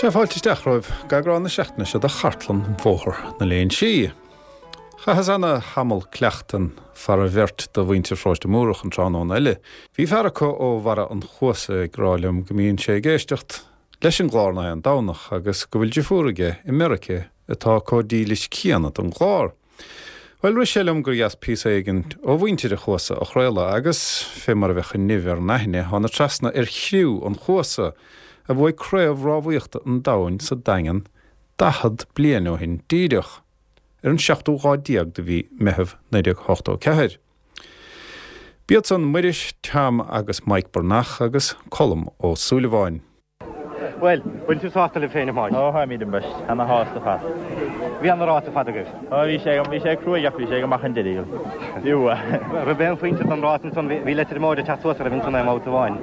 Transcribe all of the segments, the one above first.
Sea, fáilte isteach romhaibh d'eagrán na seachtaine seo de Chartlann Bhóthar na Léinsí. Chaitheas ana thamall cleachtan fara bheirt de mhuintir Pharóiste Múrach an tráthnóna eile. Bhí fear acu ó Bharra an Chuasa ag rá liom go mbíonn sé ag éisteacht leis an gclár nach aon Domhnach agus go bhfuil driofúr aige i Meirice atá comh dílis céanna don gclár. Bhuel, rith sé liom gur dheas píosa éigin ó mhuintir an Chuasa a chraoladh agus, fé mar a bheadh an nimh ar an aithne, thána trasna ar chriú an Chuasa, a bhuaigh Craobh Rámhaíochta an Domhain sa Daingean 40 bliain ó shin díreach, ar an seachtú lá déag de mhí Meitheamh 1984. B'iad san Muiris, Tom agus Mike Breathnach agus Colm Ó Súilleabháin. Bhuel, bhfuil tú sásta libh féin, a Mhaidhc? Ó, táimid ambaist, ana shásta ar fad. Bhí ana rás ar fad agaibh. Ó, bhí sé, bhí sé cruaidh ach bhí sé go maith an deireadh. Bhí uaidh. Raibh aon phointe don rás ansan, bhí Leitir Móir ag teacht suas oraibh ansan i mbabhta amháin.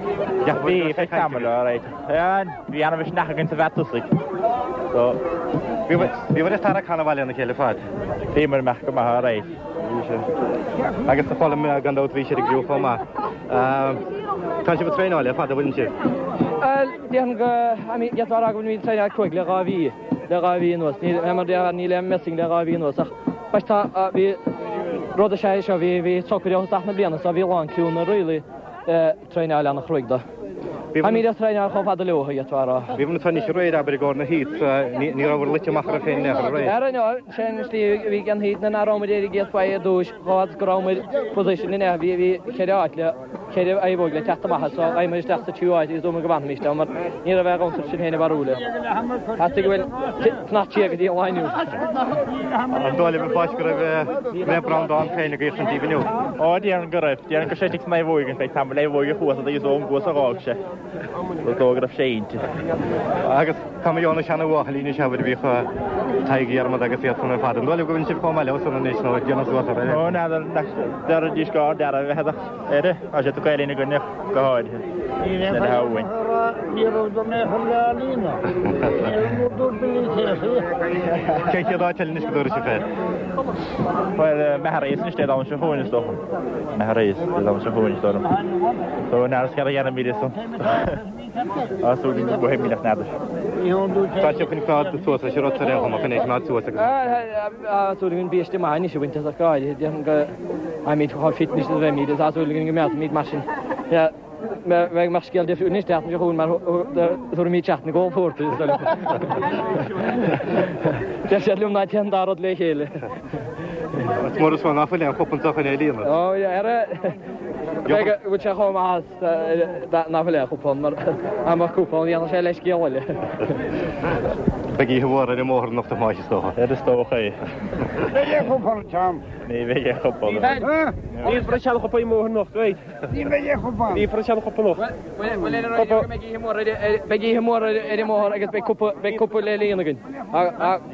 Bhí, feadh tamaill, alright. Bhí ana mhisneach againn sa mheath tosaigh. So. Bhí bhur ag tarrac ana mhaith lena chéile ar fad. Bhíomar amach go maith, alright. Bhí sé. Agus a Choilm, gan dabht bhí siad ag griú chomh maith. Tá sibh ag traenáil le fada, bhfuileann sibh? Bhuel, déarfainn go, I mean, d'fhéadfá a rá go bhfuilimid ag traenáil cruaidh le 2 mhí, le 2 mhí anuas. Níl, mar déarfá, níl aon messing le 2 mhí anuas ach bhuel tá, bhí, rud is ea é seo, bhí, bhí socraithe ó thosach na bliana so bhí a lán criúnna really ag traenáil an-chruaidh do. Táimid ag traenáil chomh fada leo, d'fhéadfá a rá. Bhí na tuirnis aréir, abair, i gcomhair na heats, ní rabhabhair luite amach oraibh féin in aon chor aréir. Ara, no, sin an tslí a bhí an heat nach rabhamar ar an gcéad faoi ar dtúis, chomh fada is go rabhamar position in bhí bhí cheithre áit le cheithre naomhóg le teacht amach as so ghabhamar isteach sa tríú áit agus dúramar go bhfanfaimis ann mar ní raibh aon chontúirt sinn féin a bharúil. Theastaigh go bhfuil fanacht siar go dtí an lá inniu. An dóigh libh a Pháis go raibh Naomh Breandán féin ag éachaint díbh inniu? Ó, déarfainn go raibh. Déarfainn go raibh sé istigh san naomhóg feadh tamaill naomhóg a chuas agus ón gcuas a dh'fhág sé. Is dóigh go raibh sé inti. Agus tá mé ón seana-bhuachaillí anois abair a bhíodh Tadhg Dhiarmada agus iad san ar fad. An dóigh libh go bhfuil sibh chomh maith leo san anois nó ag déanamh suas orthu? Ó n'fheadar nach déarfaidís go ard a bheith ach air. Tá sé tugtha ina gcoinne go háirithe. Ní raibh Ní raibh do mé chun le líonadh. Ní raibh dúirt Billy Casey. Cén chéad áit eile anois go dtabharfaidh sibh air? Bhuel, Maharees anois Dé Domhnaigh seo chugainn is dócha. Maharees Dé Domhnaigh seo chugainn is dóigh liom. So n'fheadar céard a dhéanfaimid ansan. Tá súil againn go mbuafaimid ach n'fheadar. Tá sibh chun coimeád suas leis an rota ar aon chuma, chun é a choimeád suas agus. Tá súil againn biaiste maith anois a bhaint as ach go háirithe déarfainn go mbeimid chomh fit anois is a bheimid agus tá súil againn go mbeadh mar sin. Bheadh mbeadh scéal difriúil anois seachtain seo chugainn mar tabharfaimid seachtain go Port is dóigh liom. Deir siad liom ná téann an dá rud le chéile. Is mór is ná fuil aon chup anseo chun é a líonadh. Ó ara bheadh bhfuil sé chomh maith is ná fuil aon chupán mar dá mbeadh cupán dhéanfadh sé leithscéal eile. Beidh oíche mhór ar an mbóthar anocht a Thomáis is dócha. Is dócha é. Beidh aon chupán Tom. Ní bheidh aon chupán. Ní bheidh aon chupán ar an mbóthar anocht, right? Ní bheidh aon chupán. Ní bheidh aon chupán anocht. Beidh oíche mhór ar an mbóthar agus beidh cupa beidh cupa le líonadh againn.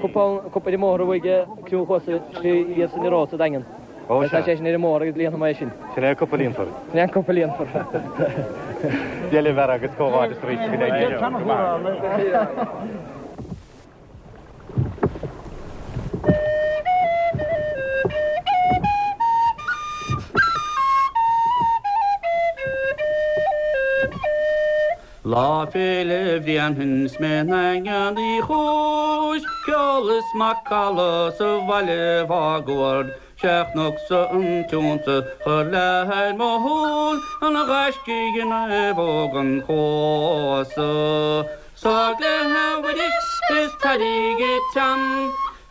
Cupán cupa ar an mbóthar a bhuaigh criú an Chuasa slí iad san rás sa Daingean. Ó Tá sé sin ar an mbóthar agus líonfaidh mé é sin. Sin é an cupa líonfar. Sin é an cupa líonfar. Dia libh a fheara agus comhghairdeas arís go n-éirí libh. Lá Féile Bhréanainn 's mé i nDaingean Uí Chúis, ceol is macalla sa bhaile mháguaird, 'Sé chonacsa an t-iontas chuir leath ar mo shúil, an ghaiscígh i naomhóg an Chuasa. Sádh léi a Mhuiris is Tadhg a Tom,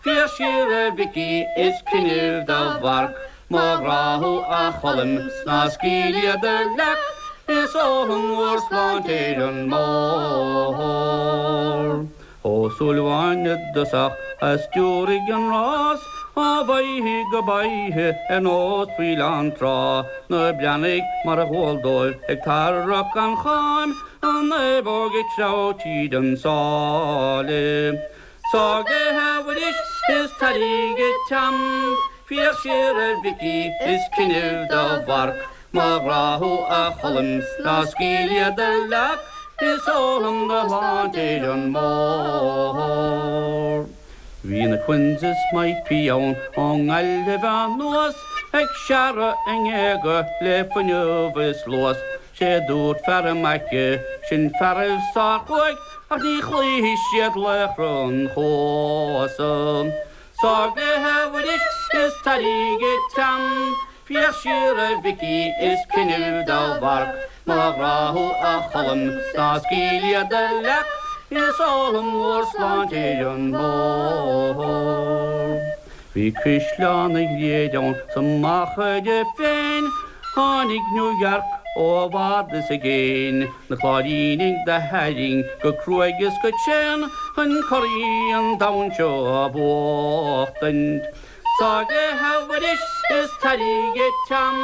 Féach siar a Mhicí is cuimhnigh do Mharc, Mo ghrá thú a Choilm 's ná scaoil iad a leac, Is ólaim bhur sláinte ar an mbóthar. Ó Súilleabháin i dtosach a stiúraigh an rás, Ó bhoiche go boiche ar nós faoileán trá, Na Breathnaigh mar a dhual dóibh ag tarrac an chairn, An naomhóg ag treabhadh tríd an sáile. Sádh léi a Mhuiris is Tadhg a Tom, Féach siar a Mhicí is cuimhnigh do Mharc, Mo ghrá thú a Choilm 's ná scaoil iad a leac, Is ólaim do shláinte ar an mbóthar. Bhí na Quinns is Mike P ann ón nGaillimh anuas, Ag searradh a ngéaga le fuinneamh is luas, 'Sé dúirt fear a mbaice, sin fearaibh sár-chruaidh. ach ní chloífidh siad laochra an Chuasa. Sár gcluiche a Mhuiris is taraíg an t-am, féach siar a Mhicí is cuimhnimh do mharc, mo ghrá thú a Choilm 's ná scaoil iad a leac, is ólaim bhur sláinte ar an mbóthar. Bhí Caisleán an Ghriaid ann sa Machaire féin, Tháinig New York ó i bhfad is i gcéin, Na Cláirínigh do tharraing go cruaidh is go tréan Chun curaidh an domhain seo a bhuachtaint. Sár gcluiche a Mhuiris is taraíg an t-am,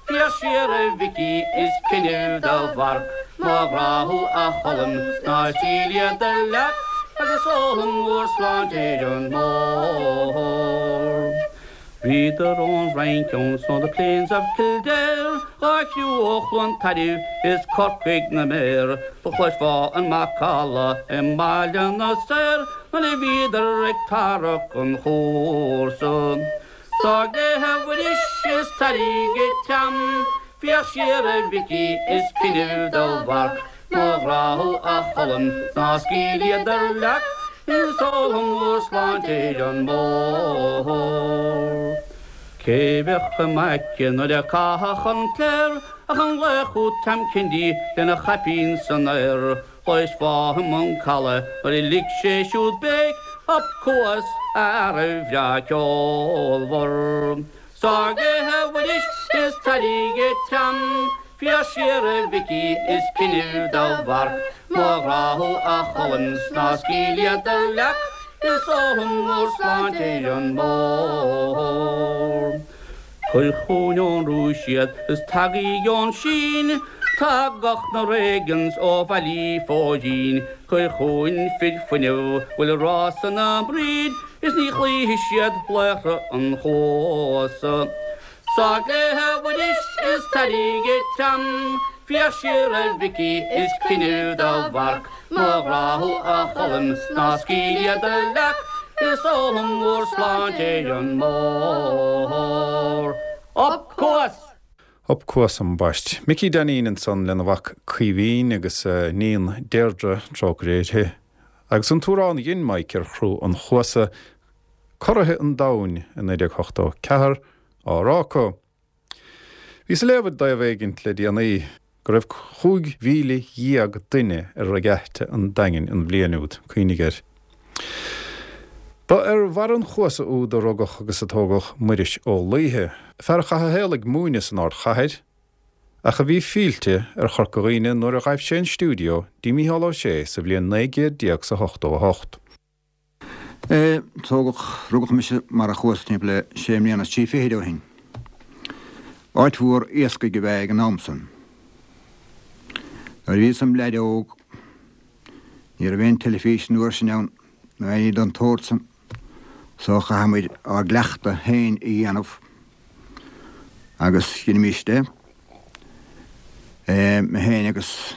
Féach siar a Mhicí is cuimhnimh do mharc, Mo ghrá thú a Choilm 's ná scaoil iad a leac Agus ólaim bhur sláinte ar an mbóthar. Bhíodar ón Fhrainc ann 's ó the plains of Kildare, Dá chriú ó Chluain Tairbh is Corcaigh na méar, Do chloisfeá an macalla i mBaile na Saor Nuair a bhíodar ag tarrac an chúrsa. Sár gcluiche a Mhuiris is taraíg an t-am, Féach siar a Mhicí is cuimhnimh do mharc, Mo ghrá thú a Choilm 's ná scaoil iad a leac, Is ólaim bhur sláinte ar an mbóthar. Cé bheadh i m'aice nuair a caitheadh an cléir Ach an laoch úd Tom Kennedy lena chaipín san aer, Chloisfeá i mbun calaidh nuair a lig sé siúd béic, Up Cuas a fhearaibh bhreá ceolmhar. Sár gcluiche a Mhuiris is taraíg an t-am, Féach siar a Mhicí is cuimhnimh do mharc, Mo ghrá thú a Choilm 's ná scaoil iad a leac, Is ólaim bhur sláinte ar an mbóthar. Cuir chugainn ón Rúis iad is tagaidh ón Sín, Tagadh na Reagans ó Bhaile Phóirín, Cuir chugainn fir fuinnimh 'bhfuil rás ina mbroid, Is ní chloífidh siad laochra an Chuasa. Sár gcluiche a Mhuiris is taraíg an t-am, Féach siar a Mhicí is cuimhnimh do mharc, Mo ghrá thú a Choilm 's ná scaoil iad a leac, Is ólaim bhur sláinte ar an mbóthar. Up Cuas! Up Cuas ambaist. Micí Dainín ansan lena mhac Caoimhín agus a iníon Deirdre, trócaire uirthi. Agus an t-amhrán a dhein Mike ar chriú an Chuasa, Curaithe an Domhain i 1984, á rá acu. Bhíos ag léamh i dtaobh éigint le déanaí go raibh 15,000 duine ar Regatta an Daingin an bhliain úd, cuimhnigh air. Ba ar bharra an chuasa úd a rugadh agus a tógadh Muiris Ó Laoithe, fear a chaith a shaol ag múineadh san ardchathair, ach a bhí fillte ar Chorca Dhuibhne nuair a ghaibh sé an stiúideo dtí Mícheál Ó Sé sa bhliain 19 is 88. Tógadh, rugadh mise i mBarra an Chuasa timpeall le sé mbliana is trí fichid ó shin. Áit mhór iascaigh ab ea é ag an am san. Nuair a bhíos im leaid óg ní raibh aon teilifís an uair sin ann nó aon ní den tsórt san so chaitheadh muid ár gcleachtadh féin a dhéanamh agus dheinimíst é. Mé féin agus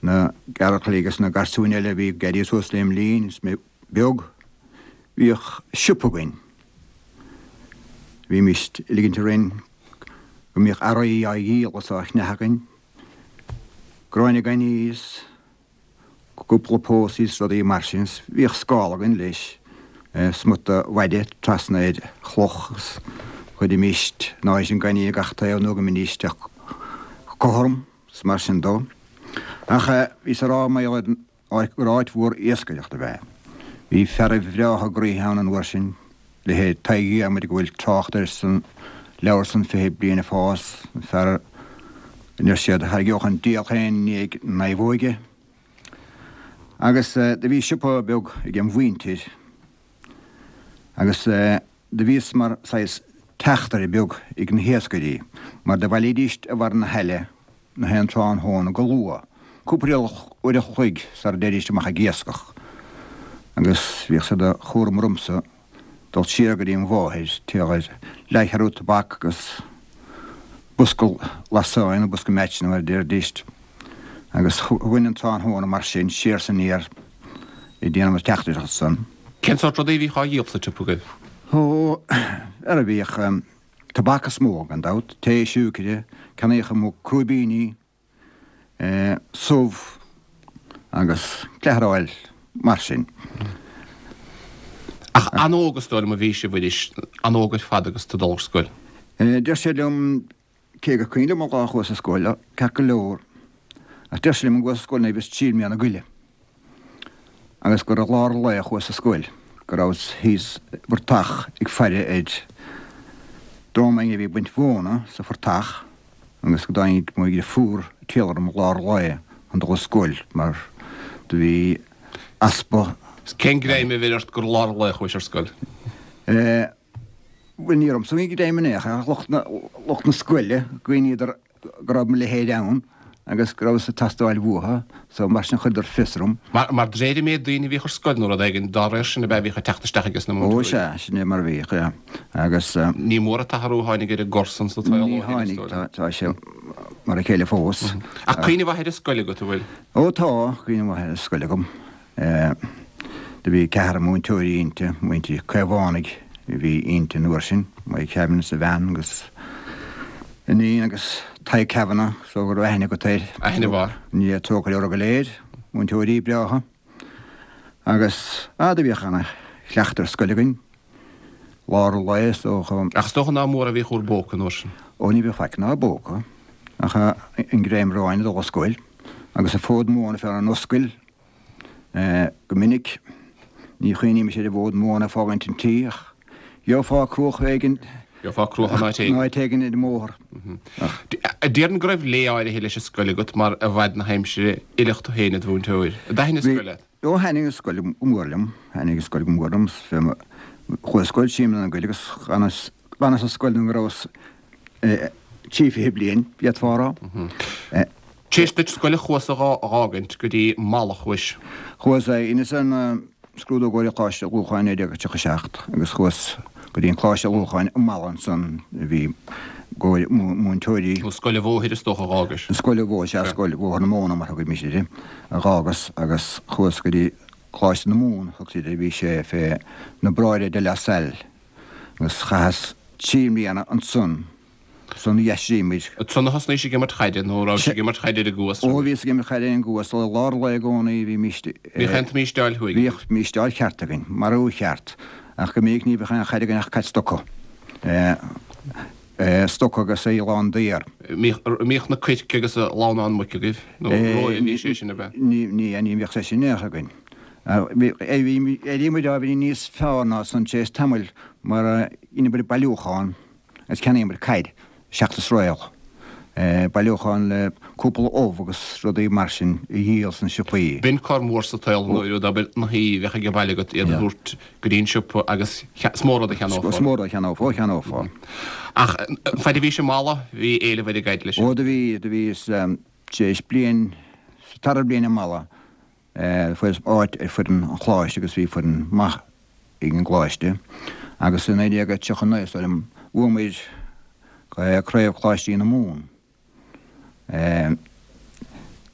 na gearrchailí agus na garsúin eile a bhí ag éirí suas lem linn is mé beag, bhíodh siopa againn. Bhímíst ag ligint orainn go mbíodh earraí á dhíol is á cheannach againn, gráinne gainimh is. cúpla pósaí is rudaí mar sin. Bhíodh scála againn leis, smut de mhaide trasna ar chloch agus chuirimíst an áit an gaineamh gach taobh nó go mbídís cothrom is mar sin dó. Ach bhíos ag rá mar gheall ar gur áit mhór iascaireachta ab ea. Bhí fearaibh bhreátha groíthe ann an uair sin, leithéid Tadhg Dhiarmuid go bhfuil trácht air san leabhar san 20 Bliain ag Fás, an fear a ndeir siad a thairgeodh an diabhal féin i ndiaidh na naomhóige. Agus do bhí siopa beag ag an mhuintir agus do bhíos mar saghas teachtaire beag ag na hiascairí mar do bhailídíst i bharra na haille na haon tráthnóna go luath, cúpla uair a chloig sara dtéidíst amach ag iascach, agus bhíodh sé de chúram ormsa dul siar go dtí an mháthair, téadh ar leathcheathrú tobac agus bosca lasáin nó bosca meaitseanna mar a deiridíst, agus thugainn an tráthnóna mar sin siar 's aniar ag déanamh na teachtaireachta san. Cén sórt rudaí a bhíodh á dhíol sa tsiopa agaibh? Ó, ara bhíodh. Tobac is mó, gan dabht, tae, siúicre, ceannaíodh amuigh crúibíní, subh. Agus cleathráil mar sin. Ach an-óg is dóigh liom a bhí sibh arís, an-óg ar fad agus tú ag dul ar scoil. Deir siad liom, cé gur cuimhin liom an lá a chuas ar scoil, ceart go leor, ach deir siad liom go gcuas ar scoil nuair a bhíos trí mbliana go leith. Agus gur i lár an lae a chuas ar scoil, go rabhas thíos i bportach ag faire ar dream againn a bhí ag baint mhóna sa phortach agus go dtáinig mo dhriofúr ag triall orm i lár an lae chun dul ar scoil mar do bhí easpa Cén greim a bheir ort gur i lár an lae a chuais ar scoil? Eh, bhuel ní ormsa a bhí an greim in aon chor ach lucht na, lucht na scoile, chuimhníodar go raibh mo leithéid ann agus go rabhas ag teastáil uathu so mar sin chuireadar fios orm. Mar, mar d'réir an méid daoine a bhíodh ar scoil nó rud éigin dá réir sin ab ea a bhíodh ag teacht isteach ages na Ó múinteoirí. sea, sin é mar a bhíodh, yeah. Agus. Ní mór an t-athrú a tháinig ar an gcor san sa tsaol ó Ní shin, is tháinig, dóigh tá, liom. tá sé mar a chéile fós. Ach cuimhne mhaith ar an scoil agat, an bhfuil? Ó tá, cuimhne mhaith ar an scoil agam. Do bhí ceathrar múinteoirí inti, muintir Caomhánaigh a bhí inti an uair sin, Mike Kavanagh is a bhean agus iníon agus Tadhg Kavanagh, so go raibh aithne agat air. Aithne mhaith. Ní trócaire orthu go léir, múinteoirí breátha. Agus, ah, do bhíodh ana chleachtadh ar scoil againn, lár an lae is dócha. Ach is dócha ná mór a bhíodh bhur bpóca an uair sin. Ó ní bhíodh faic inár bpóca ach an greim aráin ag dul ar scoil agus an fód móna fé n-ár n-ascaill. Go minic, ní chuimhnímis ar an bhfód móna ag fágaint an tí, ach gheofá cruach éigin. Gheofá cruach in áit éigin. In áit éigin ar an mbóthar. Ach. Déarfainn go raibh lé áirithe leis an scoil agat mar i bhfad na haimsire oileadh tú féin id mhúinteoir. An dtaithin an scoil leat? Ó, thaitnigh an scoil go mór liom. Thaitnigh an scoil go mór liom. Chuas ar scoil trí mbliana go leith agus d'fhanas ar scoil nó go rabhas 23 bliain, d'fhéadfá a rá. Tar éis duit scoil a chuas a dh'fhágaint go dtí Mala chuais. Chuas, dheineas an scrúdú i gcomhair an Choláiste Ullmhúcháin 1937 agus chuas go dtí an Coláiste Ullmhúcháin i Mala ansan a bhí i gcomhair múinteoirí. Nó Scoil an Bhóthair is dócha a dh'fhágais. Scoil an Bhóthair, sea, Scoil Bhóthar na Móna mar a thugaimís uirthi, a dh'fhágas agus chuas go dtí Coláiste na Mumhan a thugtaí air, bhí sé fé na Bráithre de La Salle agus chaitheas 3 mbliana ansan. Ansan d'aistrigh muid. Ansan a thosnaís ag imirt chaide, nó rabhais ag imirt chaide ar an gCuas Ó, bhíos ag imirt chaide ar an gCuas, i lár lae i gcónaí, bhímíst. Bhíodh aon tsamísteáil thuaidh. Bhíodh místeáil cheart againn, marú cheart, ach go minic ní bheadh aon chaid againn ach caid stoca. Stoca agus é lán d'fhéar. Mbíodh na coirce agus a lamhnán muice agaibh, nó róimh a bhí sé sin, ab ea? Ní, ní bhíodh sé sin in aon chor againn. D'éirigh muid ábhairín níos fearr ná san tar éis tamaill mar dheineamar bailiúchán agus cheannaíomar caid seachtas réal, bailiúchán le cúpla ubh agus rudaí mar sin a dhíol sna siopaí. B'in cor mór sa tsaol nuair a abair na huibhe a bheadh ag baile agat iad a thabhairt go dtí an siopa agus is mó rud a cheannófá. Is mó rud a cheannófá, cheannófá. Ach faid a bhís i Mala bhí éileamh ar an gcaid leis. Ó do bhí, do bhí is tar éis bliain, sa tara bliain i Mala Fuaireas áit ar foireann an Choláiste agus bhí foireann maith ag an gColáiste agus i 1939 is dóigh liom bhuamair Craobh Choláistí na Mumhan.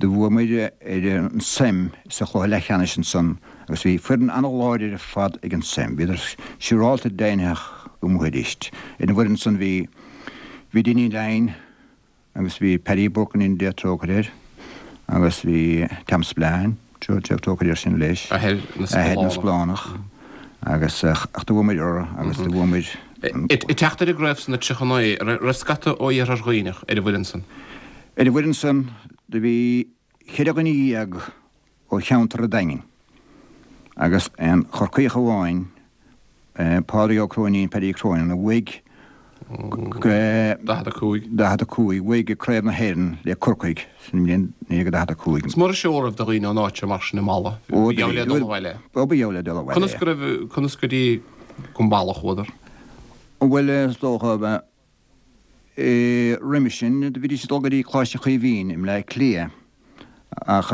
Do bhuamair ar an SEM sa chluiche leathcheannais ansan agus bhí foireann an-láidir ar fad ag an SEM. Bhíodar siúrálta deimhnitheach go mbuafaidíst. Ar an bhfoireann san bhí bhí Dinny Lyne, Agus bhí Paddy Burke go ndéana Dia trócaire air, agus bhí Tom Spillane, Dia trócaire air sin leis, Athair na athair na Spillánach, agus ach do bhuamair orthu agus do bhuamair. Ag teacht ar an gcraobh san i 39, raibh scata ó Iarthar Dhuibhneach ar an bhfoireann san? Ar an bhfoireann san do bhí cheithre dhuine dhéag ó cheantar an Daingin agus aon Chorcaíoch amháin, Pádraig Ó Cróinín, Paddy Cronin, a bhuaigh 45. 45, bhuaigh Craobh na hÉireann le Corcaigh sa mbliain 1945. Is mór an seó a raibh do dhaoine ón áit seo mar sin i Mala. Ba gheall le dul abhaile. Ó, ba gheall le dul abhaile. Conas go raibh, conas go dtí go Mala a chuadar? Bhuel, is dócha, Roimhe sin, do bhídís ag dul go dtí Coláiste Chaoimhín i mBleá Cliath ach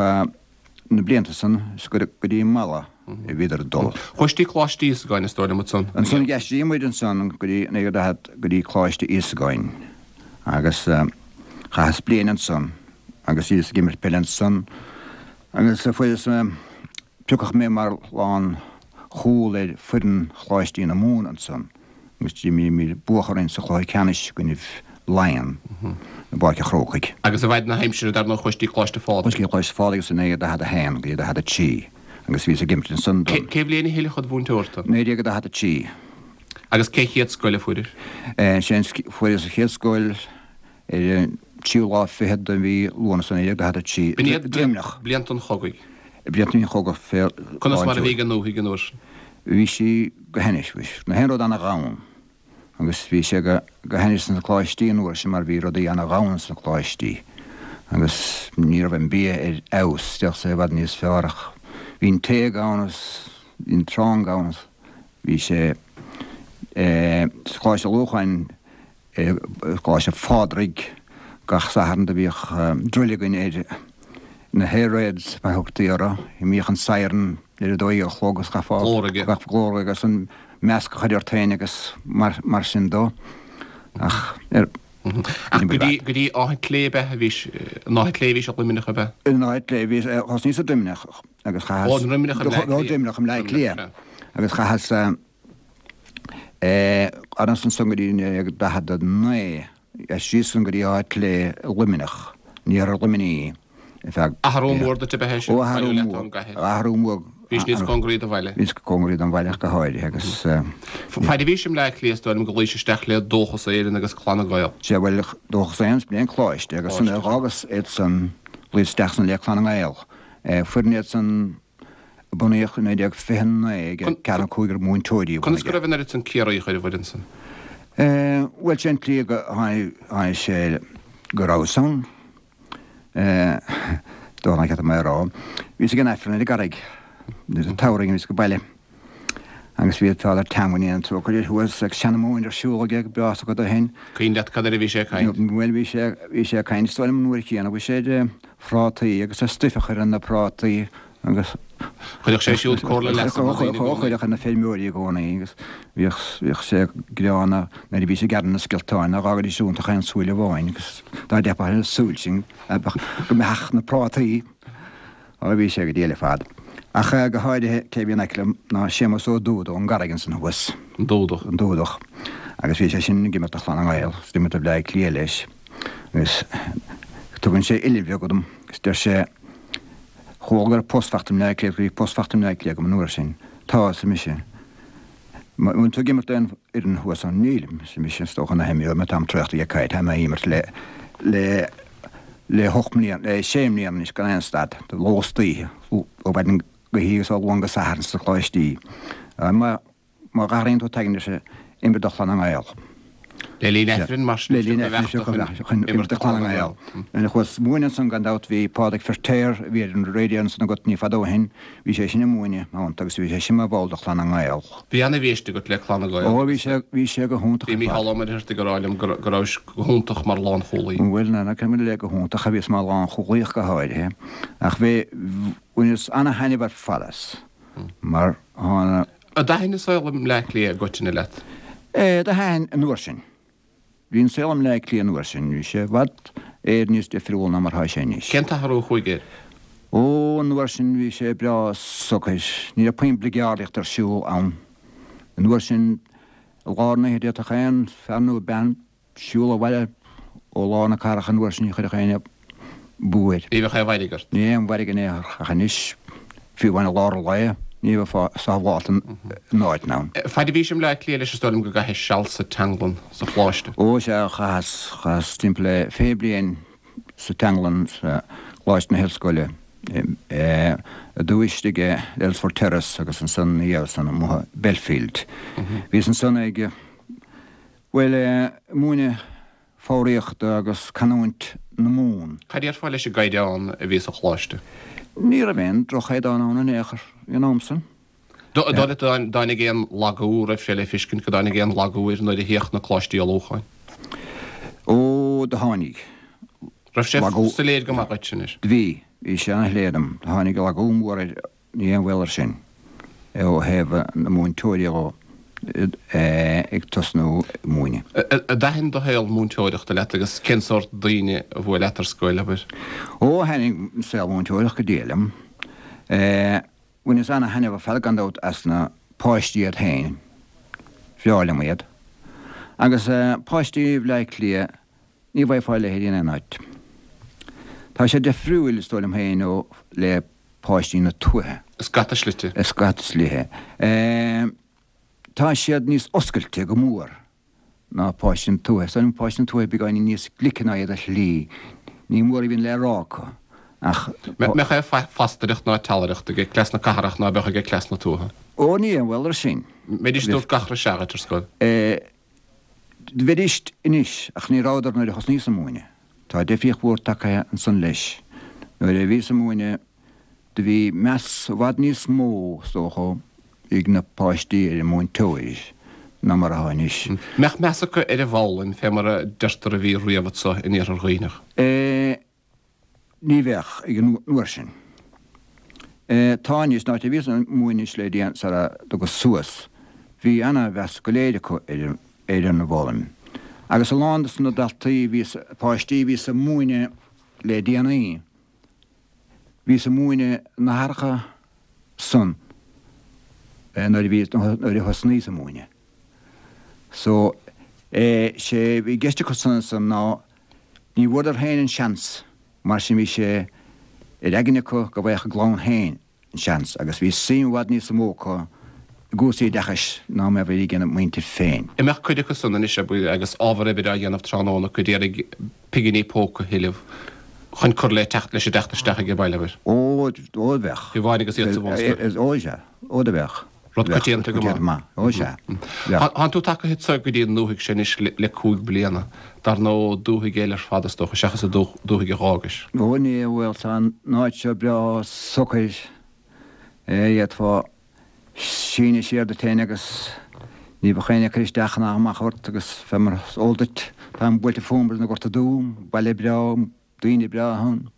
na blianta san is go dtí Mala a bhíodar ag dul. Chuais dtí Coláiste Íosagáin is dóigh liom ansan. Ansan d'aistrigh muid ansan go dtí 1940 go dtí Coláiste Íosagáin agus chaitheas bliain ansan agus bhíos ag imirt peile ansan agus fuaireas piocadh mé mar lán chúl ar foireann Choláistí na Mumhan ansan. agus d'imríomar buadh orainn sa chluiche ceannais i gcoinnibh. Laighean i bPáirc an Chrócaigh. Agus i bhfaid na haimsire dar ndóigh chuais dtí Coláiste Phádraig. Chuas dtí Coláiste Phádraig sa 1941 go dtí 43 agus bhíos ag imirt ansan don. Cé bhliain a hoileadh id mhúinteoir tu? 1943. Agus cé chéad scoil a fuairis? Sé an fuaireas an chéad scoil ar an tríú lá fichead de mhí Lúnasa 1943. B'in iad Droimneach. blianta an chogaidh. Blianta an chogaidh fé Conas mar a bhí ag an ndúthaigh an uair sin? Bhí sí go hainnis, bhí na haon rud ana-ghann. Agus bhí sé go hainnis sna coláistí an uair sin mar bhí rudaí ana-ghann sna coláistí agus ní raibh an bia ar fheabhas, bheadh sé i bhfad níos fearr ach bhí an tae gann agus bhí an t-arán gann agus bhí sé sa Choláiste Lorcáin i gColáiste Phádraig gach Satharn do bhíodh druil againn ar na hair raids mar thugtaí orthu. Bhíodh an siren ar a dó dhéag a chlog agus chaithfeá Glór aige. glór agus an measc a chur ort féin agus mar sin dó. Ach ar. Ach go dtí, go dtí Áth Cliath ab ea a bhís, in Áth Cliath a bhís i Luimneach ab ea? In Áth Cliath a bhíos, thosnaíos i Droimneach agus chaitheas. Ó, Droimneach i mBleá Cliath. Ó, Droimneach i mBleá Cliath agus chaitheas. Fhanas ansan go dtí 1949, d'aistríos ansan go dtí Áth Cliath i Luimneach, in iarthar Luimnigh, ar feadh. Athrú mór duit ab ea é sin, Ó, athrú mór, athrú mór. Bhís níos cóngaraí do bhaile. Bhíos cóngaraí don bhaile ach go háirithe agus. Faid a bhís i mBleá Cliath is dóigh liom go ghlaois isteach le Dóchas Éireann agus Clanna Gael. Sea, bhuel, Dóchas Éireann, b'in an coláiste agus ansan d'fhágas iad san, ghlaoas isteach san le Clanna nGael. Foireann iad san a bunaíodh i 1929 ag ceathrar nó cúigear múinteoirí a Conas go raibh an oiread san Ciarraíoch ar an bhfoireann san? Bhuel, sé an tslí go tháinig sé go rabhas ann, dóigh nach mé a rá. Bhíos ag an Aifreann ar an gCarraig nuair a tsamhraidh bhíos go baile agus bhí Father Teamhain an trócaire air thuas ag seanmóin ar siúl aige go breá sa gcuid ó shin. Cuimhin leat cad air a bhí sé ag caint? Bhuel, bhí sé, bhí sé ag caint, is dóigh liom an uair chéanna, bhí sé ar phrátaí agus ar stuif a chur ar na prátaí agus. Chuireadh sé siúd comhairle leasa na ndaoine i gcónaí. Chuireadh ar na feirmeoirí i gcónaí agus bhíodh, bhíodh sé greánna nuair a bhí sé ag gearradh na scioltáin nach bhfágaidís iontu ach aon súil amháin agus dá dteipfeadh ar an súil sin go mbeadh na prátaí. Ó bhí sé go diail ar fad. Ach go háirithe cé a bhí in aice liom ná Séamus Ó Dúda ón gCarraig ansan thuas. An Dúdach. An Dúdach. Agus bhí sé sin ag imirt do Chlanna nGael, is d'imir do Bhleá Cliath leis. Agus tugann sé uillinn bheag dom agus deir sé, Chuala go raibh post faighte i mBleá Cliath, bhí post faighte i mBleá Cliath agam an uair sin. Tá, arsa mise. An bhfuil tú ag imirt d'aon fhoireann thuas ann? Nílim, arsa mise, is dócha nach imreoidh mé, táim traochta dhe caid, tá mé ag imirt le, le, le hocht mbliana, le sé mbliana anois gan aon stad, de ló is d'oíche, ó mhaidin go hoíche agus ó Luan go Satharn sna coláistí. Má. Má dh'athraíonn tú t'aigne, ar sé, imir do Chlanna nGael. Le linn Aifrinn, mar sin, Le linn Aifrinn, is chun imirt do Chlanna nGael. Nuair a chuas múineadh ansan, gan dabht, bhí Pádraig Feirtéar, a bhí ar an radio ansan agat ní fada ó shin, bhí sé sin ag múineadh iontu agus bhí sé sin mar bhall de Chlanna nGael. Bhí ana-bhiaiste agat le Clanna Gael. Ó, bhí sé, bhí sé go hiontach Bhí ar fad. Mícheál Ó Muircheartaigh ag rá liom go go rabhais go hiontach mar lánchúlaí. Bhuel, ná ná creidim le go hiontach a bhíos mar lánchúlaí ach go háirithe. Ach bhí, bhaineas ana-thaitneamh ar fad as mar thána. An dtaithin an saol i mBleá Cliath i gcoitinne leat? Do thaitin an uair sin. Bhí an saol i mBleá Cliath an uair sin, bhí sé i bhfad Éireann níos difriúla ná mar atá sé anois. Cén t-athrú a chuaigh air? Ó, an uair sin bhí sé breá socair. Ní raibh puinn bligeardaíocht ar siúl ann. An uair sin, i lár na hoíche d'fhéadfadh aon fear nó bean Siúl abhaile ó lár na cathrach an uair sin ní chuirfeadh éinne bú air. Ní bheadh aon mhairg ort. Ní aon mhairg in aon chor ach anois, fiú amháin i lár an lae, ní bheifeá sábháilte in áiteanna ann. Faid a bhís i mBleá Cliath leis is dóigh liom go gcaithis seal sa teanglann sa Choláiste. Ó sea, chaitheas, chaitheas timpeall le 20 bliain sa teanglann sa Choláiste na hOllscoile, i dtús istigh i Earlsfort Terrace agus ansan ina dhiaidh san amuigh i Belfield. Bhíos ansan ag. Bhuel, múineadh foghraíochta agus canúint na Mumhan. Cad a déarfá leis an gcaighdeán a bhí sa choláiste? Ní raibh aon droch-chaighdeán ann in aon chor ag an am san. Dóigh leat go dtáinig aon lagú, raibh sé le fiscint go dtáinig aon lagú air nuair a theacht na coláistí ullmhúcháin? Ó, do tháinig. Raibh sé soiléir go maith dhuit anois? Bhí, bhí sé ana-shoiléir dom. Do tháinig lagú mór air Ní aon bhaol air sin ó thaobh na múinteoirí dhó ag tosnú ag múineadh. An dtaithin do shaol múinteoireachta leat agus cén sórt daoine a bhuail leat ar scoil, abair? Ó, thaitnigh an saol múinteoireachta go diail liom. Bhaineas ana-thaitneamh ar fad gan dabht as na páistí iad féin. Bhreá liom iad. Agus páistí Bhleá Cliath. Ní bhfaighfeá a leithéid in aon áit. Tá sé difriúil, is dóigh liom féin, ó le páistí na tuaithe. I scata slite. I scata slite. Tá siad níos oscailte go mór ná páistí na tuaithe. Is dóigh liom páistí na tuaithe beagáinín níos glice ná iad ar shlí. Ní mór a bhíonn le rá acu ach. Mbeadh aon phastaireacht ná teallaireacht aige cleas na cathrach ná beadh aige cleas na tuaithe. Ó ní aon bhaol air sin. Mbeidís ag tabhairt gach re sea dhuit ar scoil. Bheidís anois, ach ní rabhadar nuair a thosnaíos ag múineadh. Tá difríocht mhór tagtha ansan leis. Nuair a bhíos ag múineadh do bhí meas i bhfad níos mó, is dócha, ag na páistí ar an múinteoir ná mar atá anois. Mbeadh meas acu ar an bhfoghlaim fé mar a deirtear a bhí riamh anso in Iarthar Dhuibhneach? Ní bheadh, ag an uair sin. Tá anois, an áit a bhíos ag múineadh le déanaí sara dtugas suas, bhí ana-mheas go léir acu ar an bhfoghlaim. Agus a lán dos na daltaí, bhíos, páistí a bhíos ag múineadh le déanaí, bhíos ag múineadh na haithreacha san nuair a bhí, nuair a thosnaíos ag múineadh. So, sé bhí i gceist acu san ansan ná ní bhfuaireadar féin an seans, mar sin bhí sé ar aigne acu go bhfaigheadh a gclann féin an seans agus bhí suim i bhfad níos mó acu i gcúrsaí oideachais ná mar a bhí ag a muintir féin. An mbeadh cuid acu san anois agus ábhar oibre á dhéanamh tráthnóna acu d'iarraidh pinginí póca a thuilleamh chun cur le teacht leis an dteacht isteach age baile, abair? Ó, ó bheadh. Fiú amháin agus iad sa bhunscoil. Ó sea, ó do bheadh. Rud coitianta go maith. Ó sea. Tánn tú tagtha anso go dtí an ndúthaigh seo anois le 5 bliana. Dar ndóigh, dúthaigh eile ar fad is dócha, seachas an dúthaigh a dh'fhágais. Ó ní, bhuel, tá an áit seo breá socair. D'fhéadfá síneadh siar duit féin agus ní bheadh éinne ag cur isteach ná amach ort agus fé mar is eol duit, táim buailte fúm ar an nGorta Dubh, baile breá, Daoine breátha ann,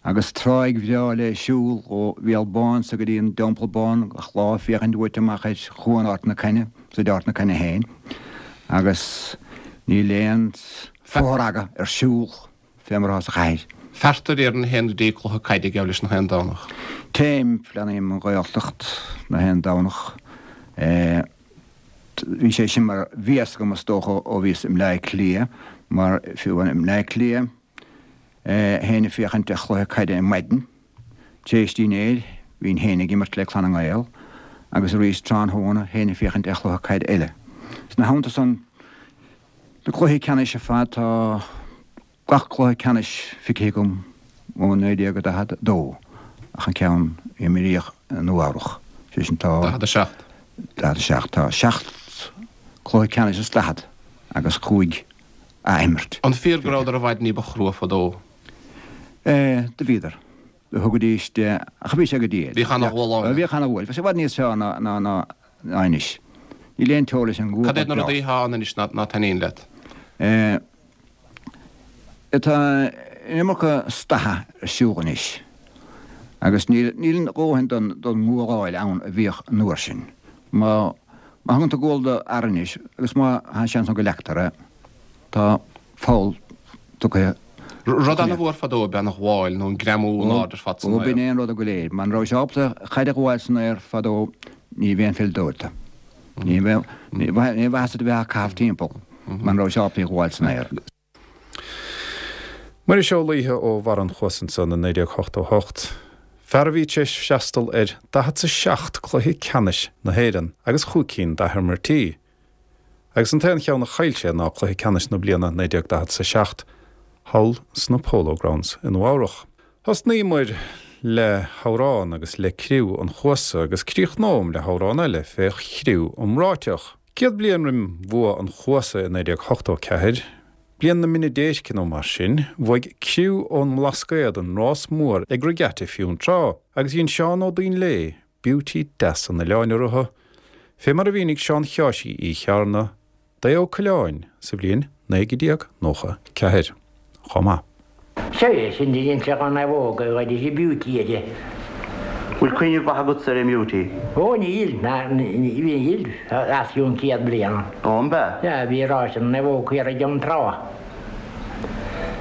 agus tráigh bhreá le siúl ó Bhéal Bán so go dtí an Teampall Bán gach lá féachaint uait amach ar chuan Ard na Caithne, is ar Ard na Caithne féin, agus níl aon fothragadh ar siúl fé mar atá sa chathair. Feartar déarfainn a théann go dtí cluiche caide geall leis nach aon Domhnach. Téim, leanaim an Ghaeltacht nach aon Domhnach. Bhí sé sin mar bhéas agam is dócha ó bhíos i mBleá Cliath mar fiú i mBleá Cliath théinn ag féachaint ar chluiche caide ar maidin tar éis dinnéir bhínn féin ag imirt le Clanna nGael agus arís tráthnóna théinn ag féachaint ar chluiche caide eile. Ina theannta san na cluichí ceannais ar fad tá Gach cluiche ceannais feicthe agam ó 1942 ach an ceann a imríodh i Nua Eabhrach, sé sin tá. 47. 47. Tá 7 cluiche ceannais is 40 agus 5 athimirt. An fíor go rabhadar i bhfad ní ba chrua fadó? Do bhíodar. Do thugaidís de, ach bhí sé go diail. Bhíodh ana-ghual ann. Bhíodh ana-ghual. Bhí sé i bhfad níos fearr ná ná anois. Níl aon teora leis an ngual. Cad iad na rudaí atá ann anois ná taitníonn leat? Tá an iomarca staitheadh ar siúl anois agus níl a dhóthain don ngualáil ann a bhíodh an uair sin. Má thugann tú gual do fhear anois agus má tá seans ann go leagtar é, tá foul tugtha. Rud ana-mhór fadó ab ea an ghabháil nó an greamú in airde ar fad san aer. Ó b'in é an rud go léir. Muna raibh sé ábalta caid a ghabháil san aer fadó ní bheadh aon pheileadóir. Ní bheadh aon mhaitheas duit a bheith á caitheamh timpeall muna raibh sé ábalta í a ghabháil san aer. Muiris Ó Laoithe ó Bharra an Chuasa ansan i 1988. Fear a bhí tar éis freastal ar 47 cluiche ceannais na hÉireann agus chúig cinn d'athimírtí. Agus an t-aon cheann a chaill sé ná cluiche ceannais na bliana 1947 thall sna Polo Grounds i Nua Eabhrach. Thosnaíomar le hamhrán agus le criú an Chuasa agus críochnóm le hamhrán eile fé chriú iomráiteach. 100 bliain roim bhua an Chuasa i 1984, bliain na mine déirce nó mar sin, bhuaigh criú ón mBlascaod an rás mór ag Regatta Fionntrá agus dhein Seán Ó Duinnshléibhe beauty deas an oileáin orthu, fé mar a mhínigh Seán Sheáirsí Uí Chearna, d'Aodh Ó Coileáin sa bhliain 1994 chomh maith. Sea, é sin de dhein sé dhá naomhóg a ghoid is a beauty aige. Bhfuil cuimhne mhaith agatsa ar an mBeauty? Ó níl, ná níl, os cionn 100 bliain. Ó, an b'ea? Sea, bhí ráis na naomhóg thiar i gCeann Trá.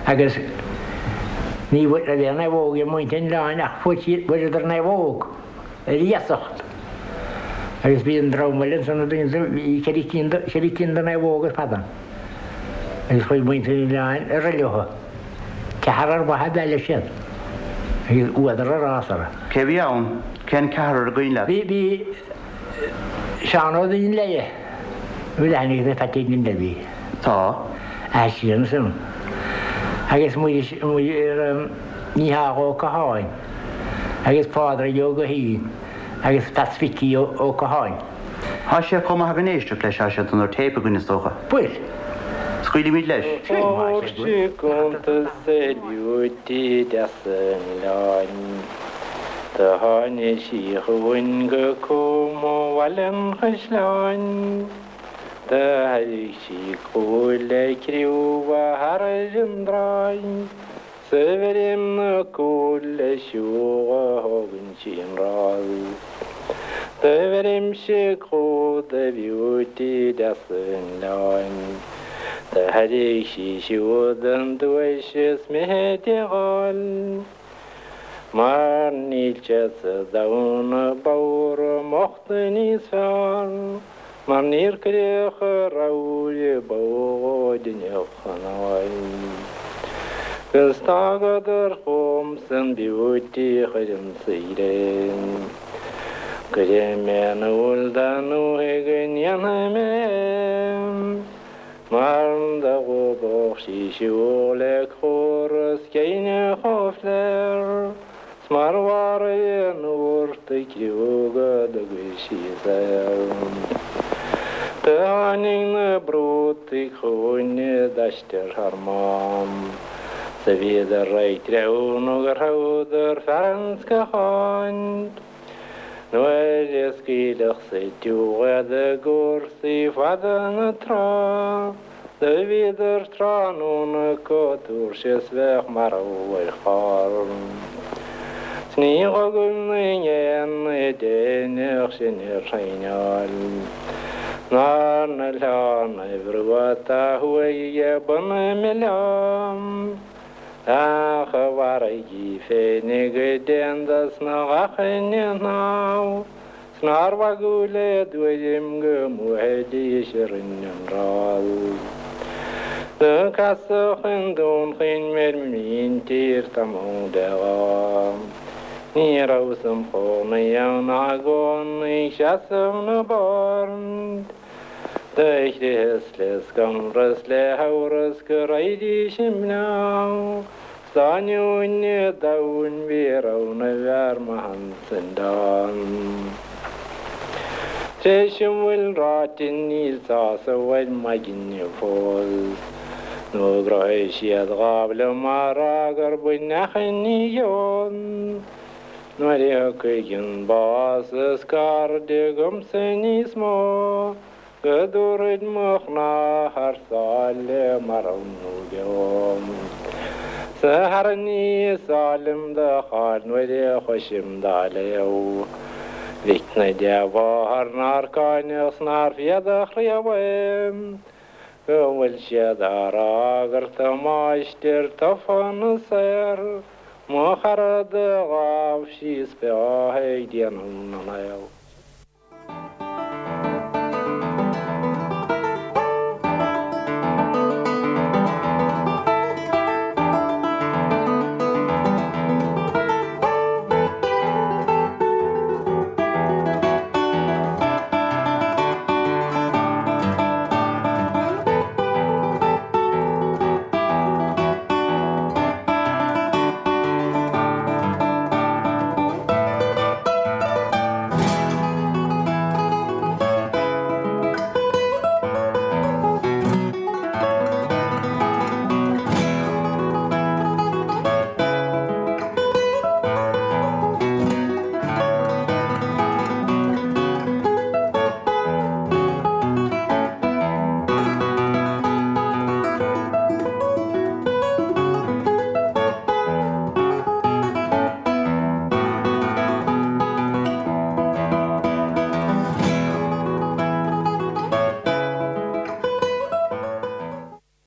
Agus ní raibh aon naomhóg ag muintir an oileáin ach fuair siad, fuaireadar naomhóg. ar iasacht. Agus bhí an dream eile ansan a bhí, bhí ceithre cinn de, ceithre cinn de naomhóga ar fad ann. Agus chuaigh muintir an oileáin ar aghaidh leo. Ceathrar maith ab ea leis iad. Agus fhuadar a rás orthu. Cé a bhí ann? Cén ceathrar a gcuimhin leat? Bhí, bhí Seán Ó Duinnshléibhe, bhfuil aithne agat ar Pheaití Duinnshléibhe? Tá. Aisíonn ansan. Agus Muiris, Muir, Mícheál Ó Catháin agus Pádraig Ó Guithín agus Peats Mhicí Ó Catháin. Tá sé chomh maith againn éisteacht leis, tá sé ar téip againn is dócha. Bhuel. Scaoilfimid leis. Fuair sí cuntas ar bheauty deas an oileáin. Do tháinig sí chugainn go Cúm ó Bhaile an Chaisleáin. Do thairrig sí cúl le criúmha thar ar an dtráigh. 'S a bheirim na cúil le siúl a thógann sí an rás. Do bheirimse clú do bheauty deas an oileáin. Do thairrig sí siúd an duais is mithid a dh'fháil. Mar níl sé sa domhan a b'fhearr i m'ucht níos fearr. Mar níor cuireadh a rogha ba mhó duine chun áil. Agus d'fhágadar chugamsa an beauty chuir an saoire. Cuirfidh mé in iúl dá ndúthaigh go ndéanfaidh mé é. Mar do dhúbadh sí siúl le córas géine chomh fléar. 'S mar mharaigh an úrt a criú go dtugaidh sí saor. Do tháinig na brútaí chugainn i dtaistear thar Mám, 's a bhíodar ag treabhadh nó gur thoghdar fear an scátháin. Nuair a scaoileadh sa tiúch iad i gcúrsaí fada na trá, Do bhíodar tráthnóna chomh tuirseach is bheadh marbh ar charr. 'S ní dh'fhágaim na géanna déanach sin ar thraenáil. Ná na hOileánaibh Rua atá thuaidh ag bun na mBileám. Ach a mharaigh í féinig go dtéann dos na lachan i shnámh. 'S nár mhagadh le dtuairim go mbuafaidís orainn an rás. Do casadh i nDún Chaoin ar mo mhíntír tamall de lá. Ní rabhas im chónaí ann ach i gcónaí ag seasamh na bord. Do chritheas le scanradh 's le hamhras go raghaidís i mBleá. 'S dá ainneoin an domhain bhí rogha na bhfear maith ansan dán. Tréis a bhfuil ráite níl sásamh ar m'aigne fós, Nó ghnóthaigh siad lámh liom á rá gur baineadh an ní ann. Nuair a thiocfaidh an bás is cairde agamsa níos mó, Go dtabharfaid mo chnámh thar sáile marbh nó beo. 'S a chara ní is áil liom do cháil nuair a chloisim dá léamh. Mhic na dea-mháthar nár cáineadh 's nár féadadh chraobhadh. Go bhfuil siad á rá gur tú máistir tofa na saor. Mo chara do ghabh síos beo ag déanamh na naomh.